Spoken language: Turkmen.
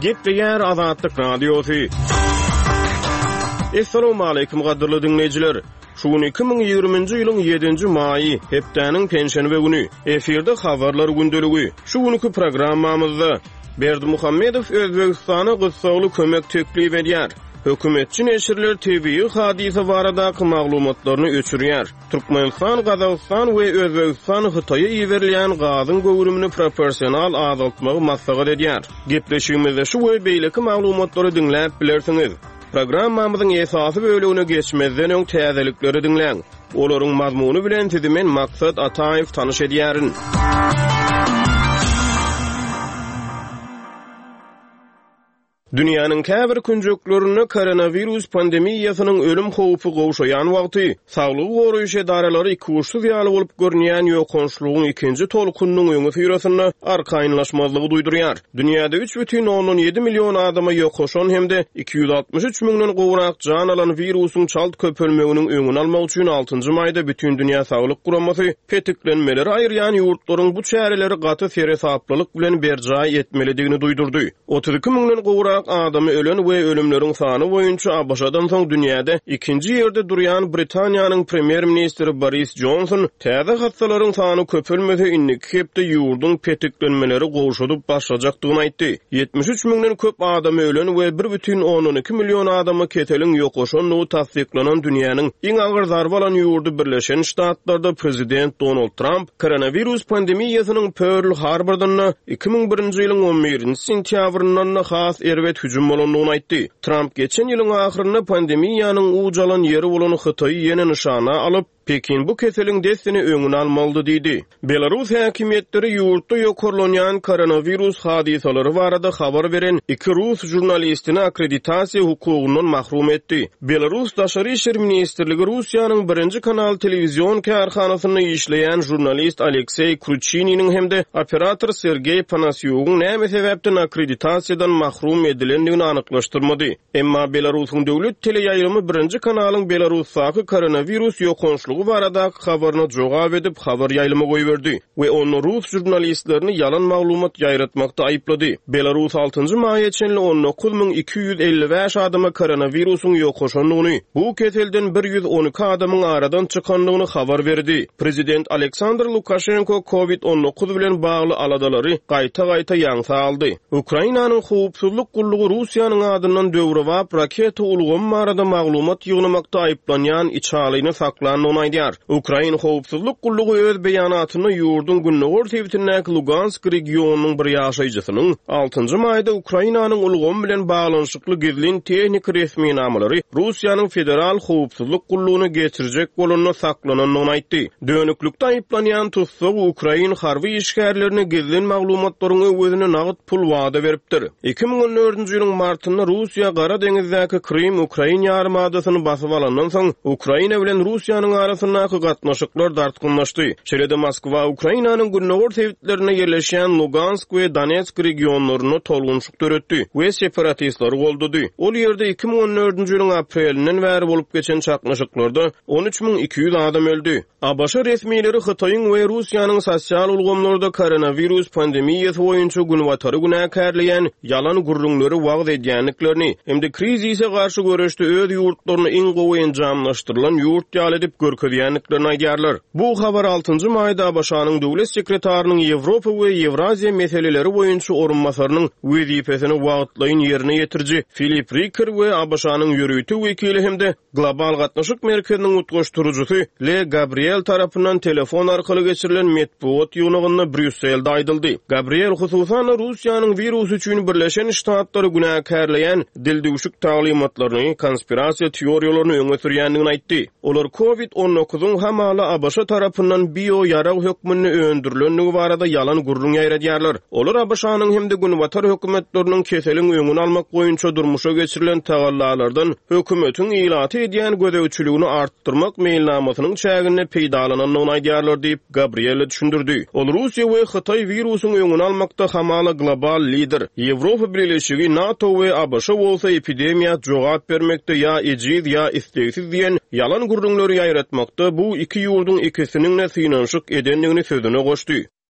Gepleýär Azatlyk Radiosy. Assalamualaikum gadyrly diňleýjiler. Şu gün 2020-nji ýylyň 7-nji maýy, hepdäniň penşenbe güni. Efirde habarlar gündeligi. Şu günki programmamyzda Berdimuhamedow Özbegistana gyssagly kömek teklip edýär. Hökümetçi neşirler tebigy hadysa baradaky maglumatlaryny öçürýär. Türkmenistan, Gazagystan we Özbegistan Hytaýa iberilýän gazyň göwrümini proporsional azaltmagy maslahat edýär. Gepleşigimizde şu we beýleki maglumatlary diňläp bilersiňiz. Programmamyzyň esasy bölegine geçmezden öň täzelikleri diňläň. Olaryň mazmuny bilen sizi men Maksat Ataýew tanyş edýärin. Dünýäniň käbir künjeklerinde koronawirus pandemiýasynyň ölüm howpy gowşaýan wagty, saglygy goraýyş edaralary ikuçsuz ýaly bolup görünýän ýokançlygyň ikinji tolkunynyň öňüsyrasynda arkaýynlaşmazlygy duýdurýar. Dünýäde 3,7 million adama ýokaşan hem-de 263 müňden gowrak jan alan wirusyň çalt köpelmeginiň öňüni almak üçin altynjy maýda Bütindünýä Saglyk Guramasy petiklenmeleri aýyrýan ýurtlaryň bu çäreleri gaty seresaplylyk bilen berjaý etmelidigini duýdurdy. 32 müňden gowrak adamy ölen we ölümleriň sany boýunça ABŞ-dan soň dünýäde ikinji ýerde durýan Britaniýanyň premýer-ministri Boris Jonson täze hassalaryň sany köpelmese indiki hepde ýurduň petiklenmeleri gowşadyp başlajakdygyny aýtdy. 73 müňden köp adamy ölen we 1,2 million adama keseliň ýokaşandygy tassyklanan dünýäniň iň agyr zarba alan ýurdy Birleşen Ştatlarda prezident Donald Tramp koronawirus pandemiýasynyň Pörl Harbordanda 2001-nji ýylyň on birinji sentýabryndan-da has erbet hüjüm bolandygyny aýtdy. Tramp geçen ýylyň ahyrynda pandemiýanyň uç alan ýeri bolan Hytaýy ýene nyşana alyp, Pekin bu keseliň dessine öňüni almalydy diýdi. Belarus häkimiýetleri ýurtda ýokarlanýan koronawirus hadysalary barada habar beren iki rus žurnalistini akkreditasiýa hukugyndan mahrum etdi. Belarus Daşary işler ministrligi Russiýanyň Birinji kanal telewizion kärhanasynda işleýän žurnalist Alekseý Kruçininiň hem-de operator Sergeý Panasýugyň näme sebäpden akkreditasiýadan mahrum edilendigini anyklaşdyrmady. Emma Belarusyň döwlet teleýaýlymy Birinji kanalyň Belarusdaky koronawirus ýokançlygy baradaky habaryna jogap edip habar ýaýlyma goýberdi. We onda rus žurnalistlerini ýalan maglumat ýaýratmakda aýyplady. Belarus altynjy maýa çenli 19 255 adama koronawirusyň ýokaşandygyny, bu keselden 112 adamyň aradan çykandygyny habar berdi. Prezident Aleksandr Lukaşenko Covid 19 bilen bagly aladalary gaýta-gaýta ýaňsa aldy. Ukrainanyň howpsuzlyk gullugy Russiýanyň adyndan döwrebap raketa ulgamy barada maglumat ýygnamakda aýyplanýan içalyny saklandygyny aýdýar. Ukrain howpsuzlyk gullugy öz beýanatynda ýurduň gündogar sebitindäki Lugansk regionynyň bir ýaşaýjysynyň altynjy maýda Ukrainanyň ulgamy bilen baglanyşykly gizlin tehniki resminamalary Russiýanyň Federal howpsuzlyk gullugyna geçirjek bolanda saklanandygyny aýtdy. Dönüklikde aýyplanýan tussag ukrain harby işgärlerine gizlin maglumatlaryň öwezine nagt pul wada beripdir. 2014-nji ýylyň martynda Russiýa Gara deňizdäki Krym ukrain ýarymadasyny basyp alandan soň, Ukraina bilen Russiýanyň arasyndaky gatnaşyklar dartgynlaşdy. Şeýle-de Moskwa Ukrainanyň gündogar sebitlerinde ýerleşýän Lugansk we Donetsk regionlarynda tolgunşyk döretdi we separatistleri goldady. Ol ýerde 2014-nji ýylyň aprelinden bäri bolup geçen çaknyşyklarda 13 200 adam öldi. ABŞ resmileri Hytaýyň we Russiýanyň sosial ulgamlarda koronawirus pandemiýasy boýunça Günbatary günäkärleýän ýalan gürrüňleri wagyz edýändiklerini hem-de krizise garşy göreşde öz ýurtlaryny iň gowy enjamlaşdyrylan ýurt ýaly edip görkezýändiklerini aýdýarlar. Bu habar altynjy maýda ABŞ-nyň döwlet sekretarynyň Ýewropa we Ýewraziýa meseleleri boýunça orunbasarynyň wezipesini wagtlaýyn ýerine ýetiriji Filip Riker we ABŞ-nyň ýörite wekili hem-de Global gatnaşyk merkeziniň utgaşdyryjysy Le Gabriel tarapyndan telefon arkaly geçirilen metbugat ýygnagynda Brýusselde aýdyldy. Gabriel, hususan-da, Russiýanyň wirus üçin Birleşen Ştatlary günäkärleýän dildüwşük taglymatlaryny, konspirasiýa teoriýalaryny öňe sürýändigini aýtdy. Olar Covid on dokuzyň hamala ABŞ tarapyndan bio-ýarag hökmünde öndürilendigi barada ýalan gürrüň ýaýradýarlar. Olar ABŞ-nyň hem-de Günbatar hökümetleriniň keseliň öňüni almak boýunça durmuşa geçirilen tagallalardan hökümetiň ilata edýän gözegçiligini artdyrmak meýilnamasynyň çäginde peýdalanandygyny aýdýarlar diýip, Gabriella düşündirdi. Ol Russiýa we Hytaý wirusyň öňüni almakda hamala global lider, Ýewropa Bileleşigi, NATO we ABŞ bolsa epidemiýa jogap bermekde ýa ejiz, ýa islegsiz diýen ýalan gürrüňleri ýaýratmakda bu iki ýurduň ikisiniň-de synanyşyk edendigini sözüne goşdy.